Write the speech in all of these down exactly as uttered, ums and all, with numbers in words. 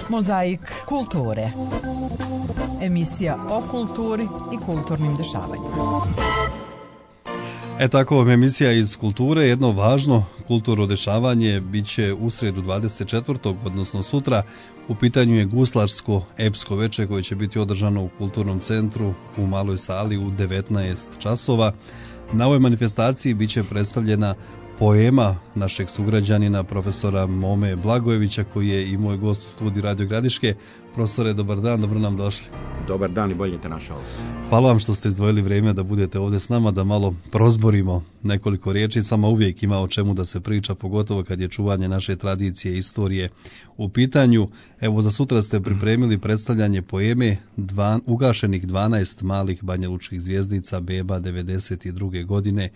Mozaik kulture. Emisija o kulturi i kulturnim dešavanjima. E tako vam emisija iz kulture. Jedno važno kulturno dešavanje bit će u srijedu dvadeset četvrtog odnosno sutra. U pitanju je guslarsko epsko veče koje će biti održano u Kulturnom centru u Maloj sali u devetnaest časova. Na ovoj manifestaciji bit će predstavljena poema našeg sugrađanina profesora Mome Blagojevića, koji je i moj gost u studiju Radio Gradiške. Profesore, dobar dan, dobro nam došli. Dobar dan i bolje te našao. Hvala vam što ste izdvojili vrijeme da budete ovdje s nama, da malo prozborimo nekoliko riječi. Sama uvijek ima o čemu da se priča, pogotovo kad je čuvanje naše tradicije i istorije u pitanju. Evo, za sutra ste pripremili predstavljanje poeme dva, ugašenih dvanaest malih banjalučkih zvjezdica beba devedeset druge godine.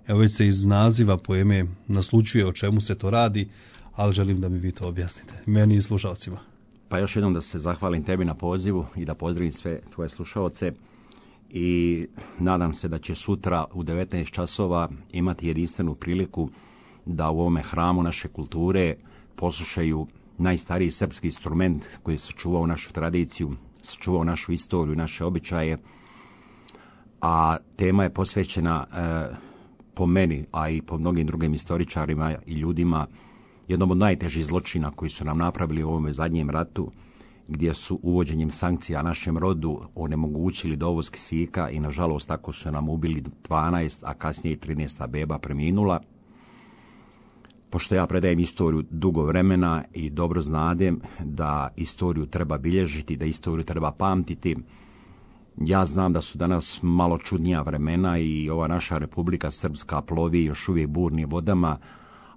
Evo, već se iz naziva poeme naslučuje o čemu se to radi, ali želim da mi vi to objasnite, meni i slušalcima. Pa još jednom da se zahvalim tebi na pozivu i da pozdravim sve tvoje slušalce i nadam se da će sutra u devetnaest časova imati jedinstvenu priliku da u ovome hramu naše kulture poslušaju najstariji srpski instrument koji je sačuvao našu tradiciju, sačuvao našu istoriju, naše običaje, a tema je posvećena e, po meni, a i po mnogim drugim istoričarima i ljudima, jednom od najtežih zločina koji su nam napravili u ovom zadnjem ratu, gdje su uvođenjem sankcija našem rodu onemogućili dovoz kisika i nažalost tako su nam ubili dvanaest, a kasnije i trinaest beba preminula. Pošto ja predajem istoriju dugo vremena i dobro znadem da istoriju treba bilježiti, da istoriju treba pamtiti, ja znam da su danas malo čudnija vremena i ova naša Republika Srpska plovi još uvijek burnim vodama,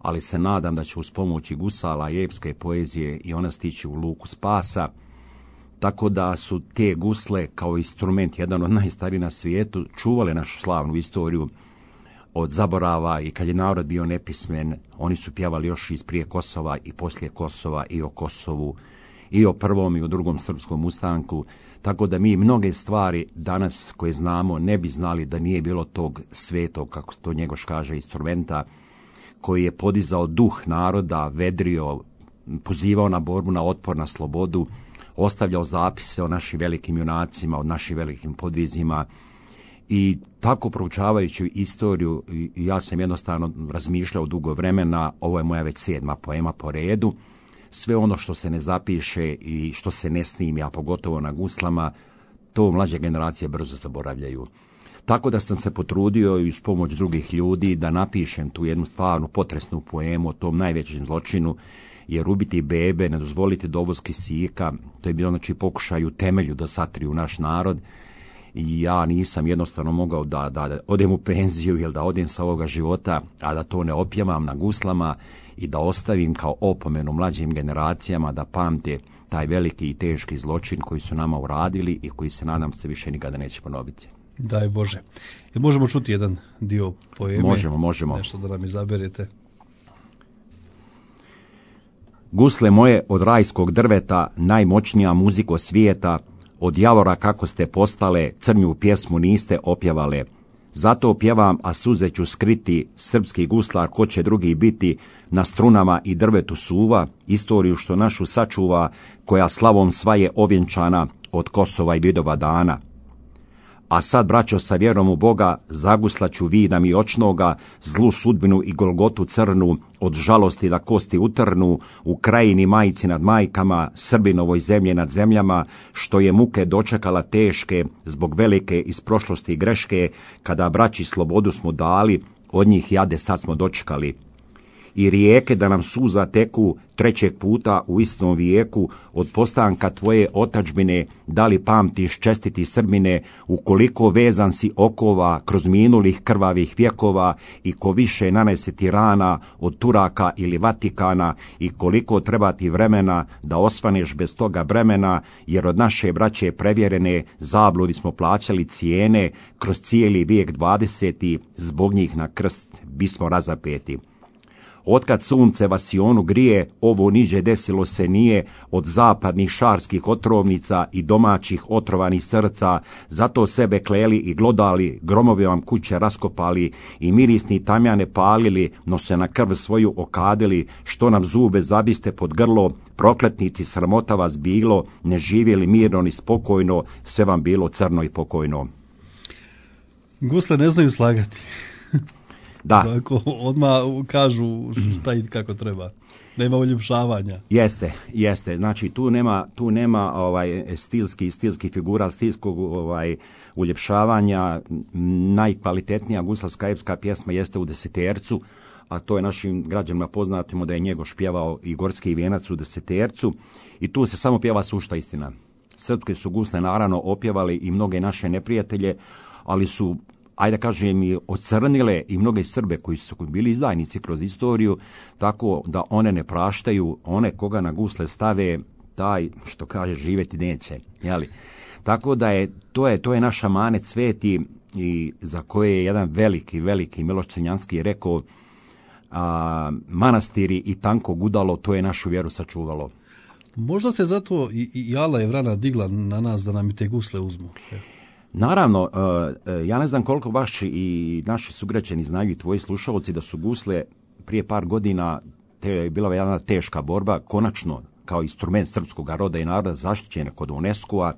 ali se nadam da će uz pomoći gusala i epske poezije i ona stići u luku spasa, tako da su te gusle kao instrument, jedan od najstarijih na svijetu, čuvale našu slavnu istoriju od zaborava i kad je narod bio nepismen, oni su pjevali još iz prije Kosova i poslije Kosova i o Kosovu, i o prvom i o drugom srpskom ustanku, tako da mi mnoge stvari danas koje znamo ne bi znali da nije bilo tog svetog, kako to Njegoš kaže, instrumenta, koji je podizao duh naroda, vedrio, pozivao na borbu, na otpor, na slobodu, ostavljao zapise o našim velikim junacima, o našim velikim podvizima. I tako proučavajući istoriju, ja sam jednostavno razmišljao dugo vremena, ovo je moja već sedma poema po redu, sve ono što se ne zapiše i što se ne snimi, a pogotovo na guslama, to mlađe generacije brzo zaboravljaju. Tako da sam se potrudio i uz pomoć drugih ljudi da napišem tu jednu stvarnu potresnu poemu o tom najvećem zločinu, jer ubiti bebe, ne dozvoliti dovoz kisika, to je bilo znači pokušaj u temelju da satriju naš narod. I ja nisam jednostavno mogao da, da, da odem u penziju ili da odem sa ovoga života, a da to ne opjevam na guslama i da ostavim kao opomenu mlađim generacijama da pamte taj veliki i teški zločin koji su nama uradili i koji se nadam se više nikada neće ponoviti. Daj Bože. Jel možemo čuti jedan dio poeme? Možemo, možemo. Nešto da nam izaberete. Gusle moje od rajskog drveta, najmoćnija muziko svijeta, od javora kako ste postale, crnju pjesmu niste opjevale. Zato pjevam, a suze ću skriti, srpski guslar ko će drugi biti, na strunama i drvetu suva, istoriju što našu sačuva, koja slavom svaje ovjenčana od Kosova i Vidova dana. A sad, braćo, sa vjerom u Boga, zaguslaću vidam i očnoga, zlu sudbinu i golgotu crnu, od žalosti da kosti utrnu, u krajini majci nad majkama, Srbinovoj zemlje nad zemljama, što je muke dočekala teške, zbog velike iz prošlosti greške, kada braći slobodu smo dali, od njih jade sad smo dočekali. I rijeke da nam suza teku trećeg puta u istom vijeku, od postanka tvoje otadžbine, da li pamtiš čestiti Srbine, ukoliko vezan si okova kroz minulih krvavih vjekova i ko više nanese ti rana od Turaka ili Vatikana i koliko treba ti vremena da osvaneš bez toga bremena, jer od naše braće prevjerene zabludi smo plaćali cijene, kroz cijeli vijek dvadeseti, zbog njih na krst bismo razapeti. Otkad sunce Vasionu grije, ovo niđe desilo se nije, od zapadnih šarskih otrovnica i domaćih otrovanih srca, zato sebe kleli i glodali, gromovi vam kuće raskopali i mirisni tamjane palili, no se na krv svoju okadili, što nam zube zabiste pod grlo, prokletnici sramota vas bilo, ne živjeli mirno ni spokojno, sve vam bilo crno i pokojno. Gusle ne znaju slagati. Da. Tako, odmah kažu šta i kako treba. Nema uljepšavanja. Jeste, jeste. Znači tu nema, tu nema ovaj stilski, stilski figura, stilskog ovaj uljepšavanja. Najkvalitetnija guslarska epska pjesma jeste u Desetercu, a to je našim građanima poznatimo da je Njegoš pjevao i Gorski vijenac u Desetercu i tu se samo pjeva sušta istina. Srpske su gusle naravno opjevali i mnoge naše neprijatelje, ali su, ajde kažem, i ocrnile i mnoge Srbe koji su bili izdajnici kroz istoriju, tako da one ne praštaju, one koga na gusle stave, taj, što kaže, živjeti neće. Jeli? Tako da je to, je, to je naš amanet sveti i za koje je jedan veliki, veliki Miloš Crnjanski rekao, a, manastiri i tanko gudalo, to je našu vjeru sačuvalo. Možda se zato i, i Ala je vrana digla na nas da nam i te gusle uzmu. Naravno, ja ne znam koliko vaši i naši sugrađani znaju i tvoji slušalci da su gusle prije par godina, te je bila jedna teška borba, konačno kao instrument srpskog roda i naroda zaštićene kod UNESCO-a,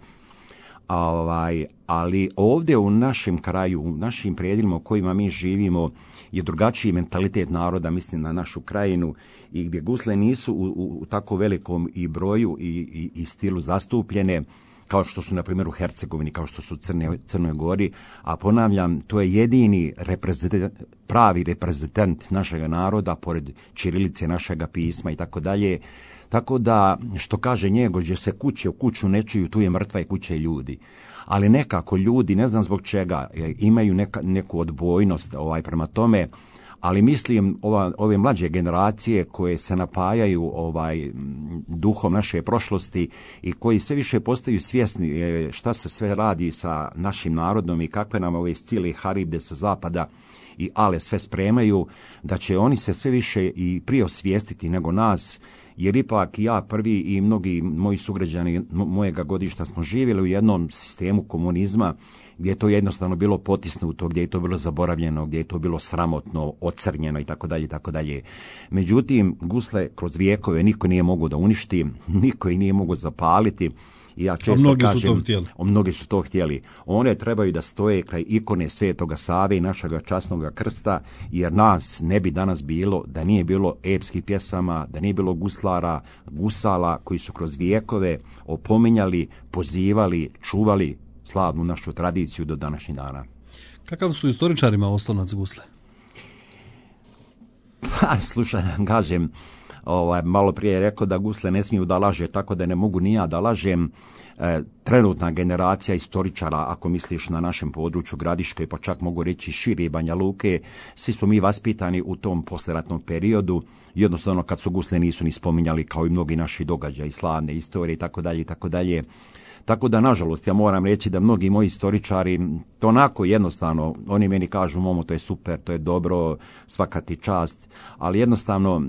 ovaj, ali ovdje u našem kraju, u našim predjelima u kojima mi živimo je drugačiji mentalitet naroda, mislim na našu krajinu, i gdje gusle nisu u, u, u tako velikom i broju i, i, i stilu zastupljene, kao što su na primjer u Hercegovini, kao što su u Crne, Crnoj Gori, a ponavljam, to je jedini reprezentant, pravi reprezentant našega naroda, pored ćirilice našega pisma i tako dalje. Tako da, što kaže Njegoš, gdje se kuće u kuću ne čuju, tu je mrtva i kuće ljudi. Ali nekako ljudi, ne znam zbog čega, imaju neka, neku odbojnost ovaj, prema tome, ali mislim ova, ove mlađe generacije koje se napajaju ovaj duhom naše prošlosti i koji sve više postaju svjesni šta se sve radi sa našim narodom i kakve nam ove cijele haribde sa zapada i ale sve spremaju, da će oni se sve više i prije osvijestiti nego nas, jer ipak ja prvi i mnogi moji sugrađani mojega godišta smo živjeli u jednom sistemu komunizma gdje je to jednostavno bilo potisnuto, gdje je to bilo zaboravljeno, gdje je to bilo sramotno, ocrnjeno i tako dalje, tako dalje. Međutim, gusle kroz vijekove niko nije mogao da uništi, niko ih nije mogao zapaliti. I ja često mnogi kažem, su to htjeli. Mnogi su to htjeli. One trebaju da stoje kraj ikone Svetoga Save i našega časnoga krsta, jer nas ne bi danas bilo da nije bilo epskih pjesama, da nije bilo guslara, gusala koji su kroz vijekove opominjali, pozivali, čuvali slavnu našu tradiciju do današnjih dana. Kakav su istoričarima oslonac gusle? Pa, slušaj, kažem, ovaj, malo prije je rekao da gusle ne smiju da laže, tako da ne mogu ni ja da lažem. E, trenutna generacija istoričara, ako misliš na našem području Gradiške, pa čak mogu reći šire Banja Luke, svi smo mi vaspitani u tom posleratnom periodu, jednostavno kad su gusle nisu ni spominjali, kao i mnogi naši događaji, slavne istorije i tako dalje i tako dalje. Tako da, nažalost, ja moram reći da mnogi moji istoričari, to onako jednostavno, oni meni kažu, momo, to je super, to je dobro, svaka ti čast, ali jednostavno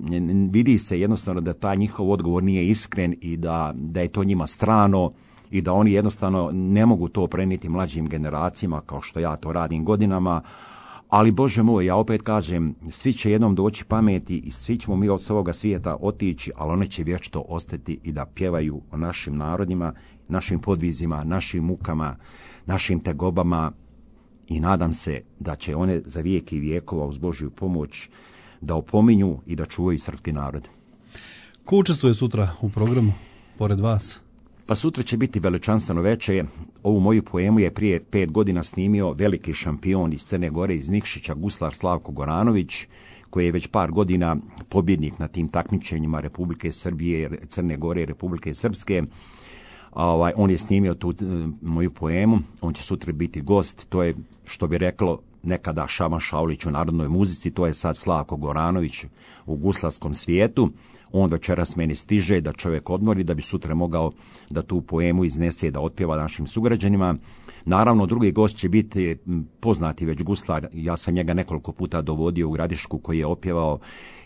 vidi se jednostavno da taj njihov odgovor nije iskren i da, da je to njima strano i da oni jednostavno ne mogu to prenijeti mlađim generacijama kao što ja to radim godinama. Ali, Bože moj, ja opet kažem, svi će jednom doći pameti i svi ćemo mi od ovoga svijeta otići, ali one će vječno ostati i da pjevaju o našim narodima, našim podvizima, našim mukama, našim tegobama i nadam se da će one za vijek i vijekova uz Božju pomoć da opominju i da čuvaju srpski narod. Ko učestvuje sutra u programu, pored vas? Pa sutra će biti veličanstveno veče. Ovu moju poemu je prije pet godina snimio veliki šampion iz Crne Gore, iz Nikšića, guslar Slavko Goranović, koji je već par godina pobjednik na tim takmičenjima Republike Srbije, Crne Gore i Republike Srpske. Ovaj, on je snimio tu moju poemu, on će sutra biti gost, to je, što bi reklo nekada Šaban Šaulić u narodnoj muzici, to je sad Slavko Goranović u guslarskom svijetu, on večeras meni stiže, da čovjek odmori, da bi sutra mogao da tu poemu iznese, da otpjeva našim sugrađanima. Naravno, drugi gost će biti poznati već guslar, ja sam njega nekoliko puta dovodio u Gradišku, koji je opjevao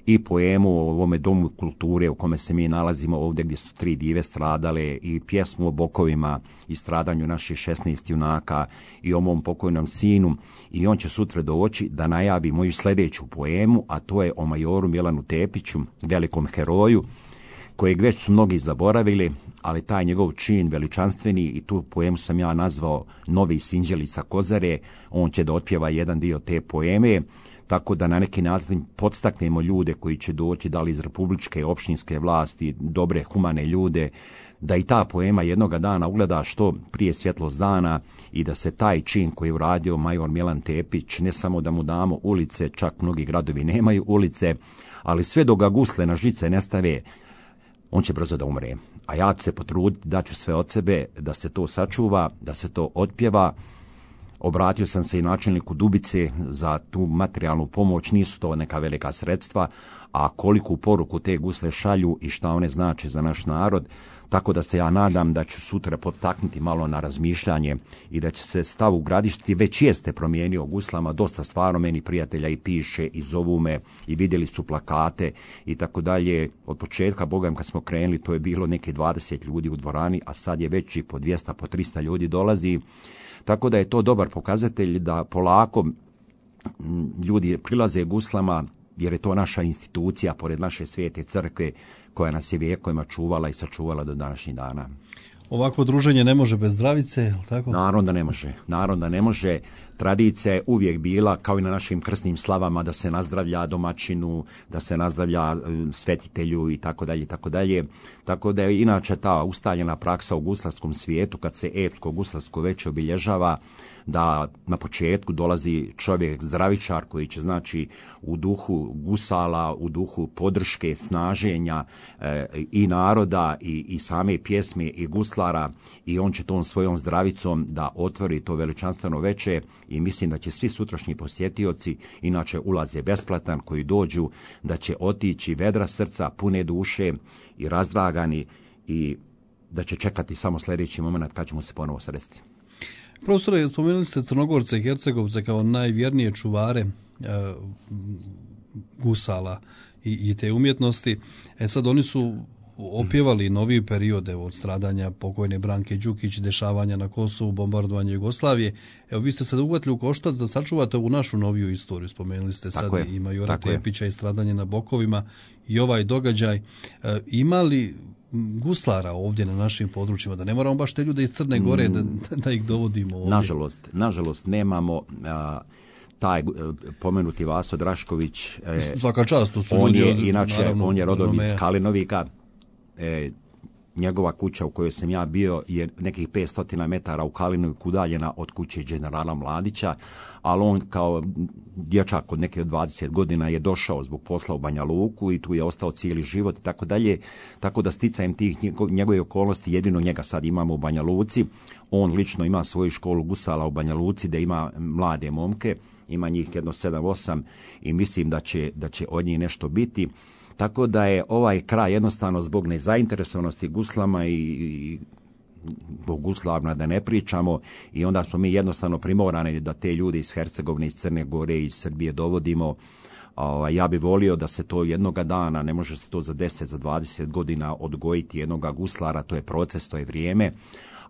i poemu o ovome domu kulture u kome se mi nalazimo ovdje gdje su tri dive stradale, i pjesmu o bokovima i stradanju naših šesnaest junaka i o mom pokojnom sinu, i on će sutra doći da najavi moju sljedeću poemu, a to je o majoru Milanu Tepiću, velikom heroju, kojeg već su mnogi zaboravili, ali taj njegov čin veličanstveni, i tu poemu sam ja nazvao Novi Sinđeli sa Kozare, on će da otpjeva jedan dio te poeme, tako da na neki način podstaknemo ljude koji će doći, da li iz republičke, opštinske vlasti, dobre, humane ljude, da i ta poema jednoga dana ugleda što prije svjetlost dana, i da se taj čin koji je uradio major Milan Tepić, ne samo da mu damo ulice, čak mnogi gradovi nemaju ulice, ali sve dok ga gusle na žice ne stave, on će brzo da umre. A ja ću se potruditi, daću sve od sebe da se to sačuva, da se to otpjeva. Obratio sam se i načelniku Dubice za tu materijalnu pomoć, nisu to neka velika sredstva, a koliku poruku te gusle šalju i šta one znače za naš narod, tako da se ja nadam da ću sutra podstaknuti malo na razmišljanje i da će se stav u Gradišci, već jeste promijenio guslama, dosta stvarno meni prijatelja i piše i zovu me i vidjeli su plakate i tako dalje. Od početka, bogam, kad smo krenuli, to je bilo neki dvadeset ljudi u dvorani, a sad je već i po dvjesto, po tristo ljudi dolazi. Tako da je to dobar pokazatelj da polako ljudi prilaze guslama, jer je to naša institucija, pored naše svete crkve, koja nas je vijekovima čuvala i sačuvala do današnjih dana. Ovako druženje ne može bez zdravice, je li tako? Naravno da ne može. Naravno da ne može. Tradicija je uvijek bila, kao i na našim krsnim slavama, da se nazdravlja domaćinu, da se nazdravlja svetitelju i tako dalje, tako dalje. Tako da je inače ta ustaljena praksa u guslarskom svijetu, kad se epsko guslarsko veče obilježava, da na početku dolazi čovjek zdravičar koji će, znači, u duhu gusala, u duhu podrške, snaženja e, i naroda i, i same pjesme i guslara, i on će tom svojom zdravicom da otvori to veličanstveno veče, i mislim da će svi sutrašnji posjetioci, inače ulaz je besplatan, koji dođu, da će otići vedra srca, pune duše i razdragani, i da će čekati samo sljedeći moment kad ćemo se ponovo sresti. Profesore, spomenuli ste Crnogorce i Hercegovce kao najvjernije čuvare e, gusala i, i te umjetnosti. E sad, oni su opjevali novi periode od stradanja pokojne Branke Đukić, dešavanja na Kosovu, bombardovanja Jugoslavije. Evo, vi ste se uhvatili u koštac da sačuvate ovu našu noviju istoriju. Spomenuli ste sad je, i majora Tepića je. I stradanje na Bokovima i ovaj događaj. E, ima li guslara ovdje na našim područjima, da ne moramo baš te ljude iz Crne Gore da, da ih dovodimo ovdje? Nažalost, nažalost nemamo. A, taj pomenuti Vaso Drašković, e, svaka čast, to su on ljudi je, od, inače, naravno, on je rodom iz Kalinovika. E, njegova kuća u kojoj sam ja bio je nekih petsto metara u Kalinoviku udaljena od kuće generala Mladića, ali on kao dječak od neke dvadeset godina je došao zbog posla u Banja Luku i tu je ostao cijeli život i tako dalje, tako da sticajem tih njegove okolnosti jedino njega sad imamo u Banja Luci. On lično ima svoju školu gusala u Banja Luci, da ima mlade momke, ima njih jedno sedam osam, i mislim da će, da će od njih nešto biti. Tako da je ovaj kraj jednostavno zbog nezainteresovanosti guslama i, i zbog guslarna da ne pričamo, i onda smo mi jednostavno primorani da te ljude iz Hercegovine, iz Crne Gore, iz Srbije dovodimo. A, ja bih volio da se to jednoga dana, ne može se to za deset, za dvadeset godina odgojiti jednoga guslara, to je proces, to je vrijeme.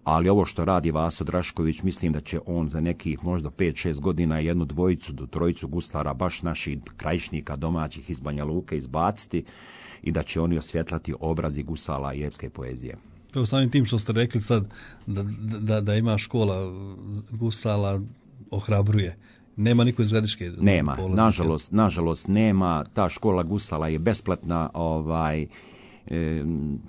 Ali ovo što radi Vaso Drašković, mislim da će on za nekih možda pet šest godina jednu dvojicu do trojicu guslara, baš naših krajišnika domaćih iz Banja Luke, izbaciti, i da će oni osvjetlati obrazi gusala i epske poezije. Evo, samim tim što ste rekli sad da, da, da ima škola gusala, ohrabruje. Nema niko iz Gradiške? Nema, nažalost, nažalost nema. Ta škola gusala je besplatna, ovaj,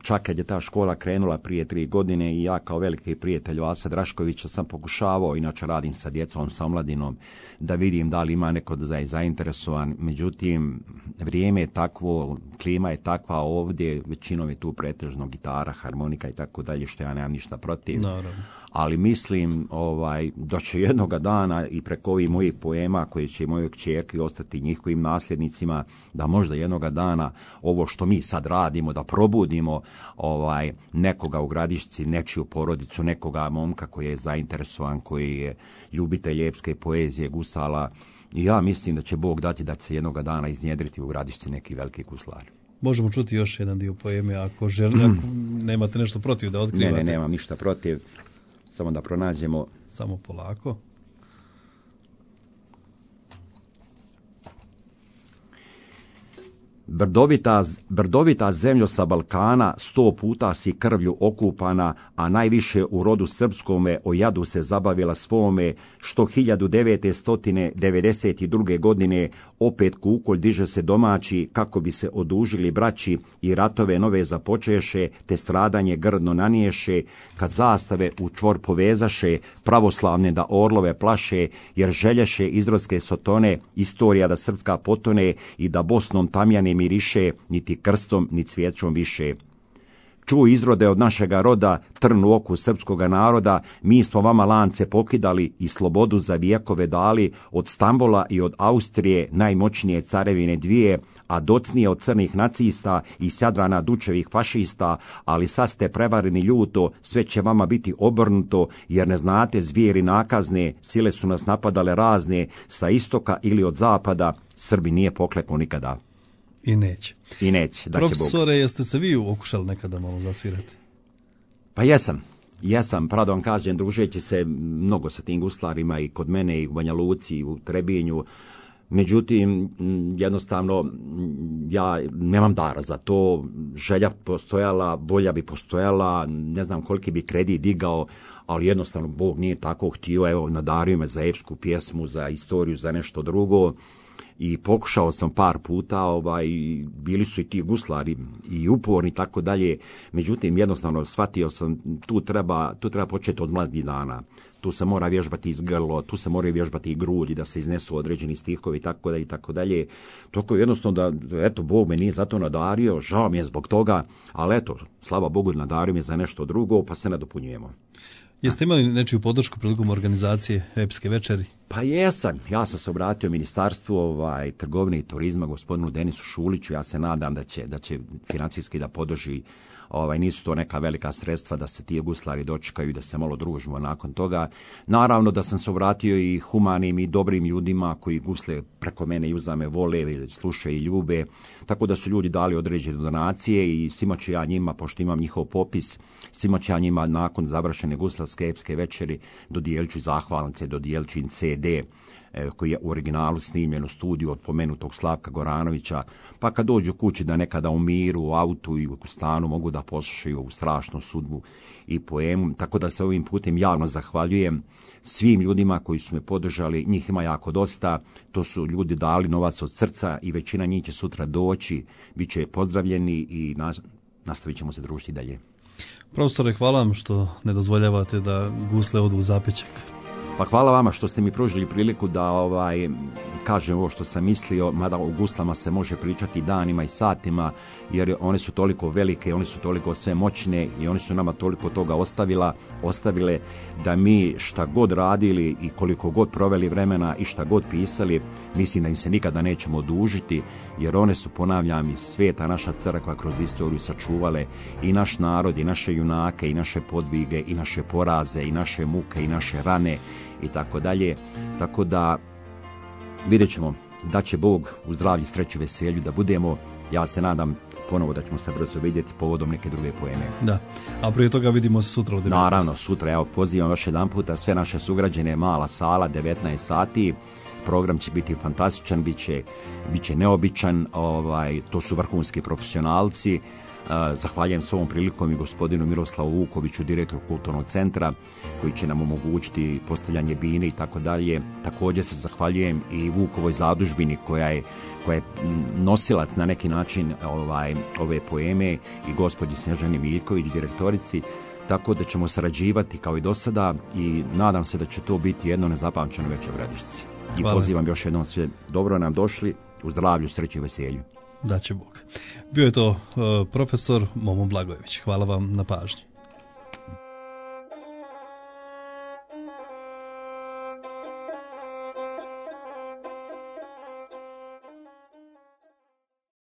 Čak kad je ta škola krenula prije tri godine i ja kao veliki prijatelj Vasa Draškovića sam pokušavao, inače radim sa djecom, sa omladinom, da vidim da li ima neko da je zainteresovan. Međutim, vrijeme je takvo, klima je takva ovdje, većinom je tu pretežno gitara, harmonika i tako dalje, što ja nemam ništa protiv. Naravno. Ali mislim ovaj, da će jednoga dana i preko ovih mojih poema koje će moje kćerki ostati njihovim nasljednicima, da možda jednoga dana ovo što mi sad radimo, da probudimo ovaj, nekoga u Gradišci, nečiju porodicu, nekoga momka koji je zainteresovan, koji je ljubitelj epske poezije, gusala. I ja mislim da će Bog dati da će se jednoga dana iznjedriti u Gradišci neki veliki guslar. Možemo čuti još jedan dio poeme ako želi, ako nemate nešto protiv da otkrivate. Ne, ne, nemam ništa protiv. Samo da pronađemo. Samo polako. Brdovita, brdovita zemljo sa Balkana, sto puta si krvlju okupana, a najviše u rodu srpskome o jadu se zabavila svome, što hiljadu devetsto devedeset druge. godine opet kukolj diže se domaći, kako bi se odužili braći i ratove nove započeše, te stradanje grdno naniješe, kad zastave u čvor povezaše, pravoslavne da orlove plaše, jer želješe izrodske sotone, istorija da srpska potone i da Bosnom tamjane miriše, niti krstom, ni cvijećom više. Čuj izrode od našega roda, trn u oku srpskoga naroda, mi smo vama lance pokidali i slobodu za vijekove dali, od Stambola i od Austrije, najmoćnije carevine dvije, a docnije od crnih nacista i Sjadrana Dučevih fašista, ali sad ste prevareni ljuto, sve će vama biti obrnuto, jer ne znate zvijeri nakazne, sile su nas napadale razne, sa istoka ili od zapada, Srbi nije pokleknuo nikada. I neće. I neće. Profesore, jeste se vi okušali nekada malo zasvirati? Pa jesam. Jesam, pravo da vam kažem, družeći se mnogo sa tim guslarima i kod mene i u Banja Luci i u Trebinju. Međutim, jednostavno, ja nemam dara za to, želja postojala, bolja bi postojala, ne znam koliki bi kredit digao, ali jednostavno Bog nije tako htio, evo, nadario me za epsku pjesmu, za istoriju, za nešto drugo. I pokušao sam par puta, ovaj, bili su i ti guslari i uporni tako dalje, međutim jednostavno shvatio sam tu treba, tu treba početi od mladih dana. Tu se mora vježbati iz grlo, tu se mora vježbati i grulji da se iznesu određeni stihovi i tako dalje i tako dalje. Toko jednostavno da, eto, Bog me nije za to nadario, žao mi je zbog toga, ali eto, slava Bogu nadario me za nešto drugo, pa se nadopunjujemo. Jeste imali nečiju podršku prilikom organizacije epske večeri? Pa jesam. Ja sam se obratio Ministarstvu ovaj, trgovine i turizma, gospodinu Denisu Šuliću. Ja se nadam da će, da će financijski da podrži. Ovaj, nisu to neka velika sredstva da se ti guslari dočekaju i da se malo družimo nakon toga. Naravno da sam se obratio i humanim i dobrim ljudima koji gusle preko mene i uzame vole, slušaju i ljube. Tako da su ljudi dali određene donacije i svima ću ja njima, pošto imam njihov popis, svima ću ja njima nakon završene guslarske epske večeri dodijelit ću zahvalnice, dodijelit ću im ce de koji je u originalu snimljen u studiju od pomenutog Slavka Goranovića, pa kad dođu kući da nekada u miru, u autu i u stanu mogu da poslušaju ovu strašnu sudbu i poemu, tako da se ovim putem javno zahvaljujem svim ljudima koji su me podržali, njih ima jako dosta, to su ljudi dali novac od srca i većina njih će sutra doći, bit će pozdravljeni i nastavit ćemo se družiti dalje. Profesore, hvala vam što ne dozvoljavate da gusle odu u zapećak. Pa hvala vama što ste mi pružili priliku da ovaj kažem ovo što sam mislio, mada o guslama se može pričati danima i satima, jer one su toliko velike, one su toliko sve moćne i one su nama toliko toga ostavila, ostavile da mi šta god radili i koliko god proveli vremena i šta god pisali, mislim da im se nikada nećemo odužiti, jer one su, ponavljam, i sveta naša crkva kroz istoriju sačuvale i naš narod, i naše junake, i naše podvige, i naše poraze, i naše muke, i naše rane, i tako dalje. Tako da vidjet ćemo da će Bog u zdravlju, sreću, veselju da budemo. Ja se nadam ponovo da ćemo se brzo vidjeti povodom neke druge poeme. Da, a prije toga vidimo se sutra u devetnaest. Naravno, sutra, evo, pozivam još jedan puta sve naše sugrađene, mala sala, devetnaest sati. program će biti fantastičan, bit će, bit će neobičan, ovaj, to su vrhunski profesionalci. Zahvaljujem s ovom prilikom i gospodinu Miroslavu Vukoviću, direktoru Kulturnog centra, koji će nam omogućiti postavljanje bine i tako dalje. Također se zahvaljujem i Vukovoj zadužbini koja je, koja je nosilac na neki način ovaj, ove poeme i gospođi Snježani Miljković, direktorici, tako da ćemo sarađivati kao i do sada i nadam se da će to biti jedno nezapamćeno veče u Gradišci. I Hvala. Pozivam još jednom sve dobro nam došli, u zdravlju, sreći i veselju. Da će Bog. Bio je to uh, profesor Momo Blagojević. Hvala vam na pažnji.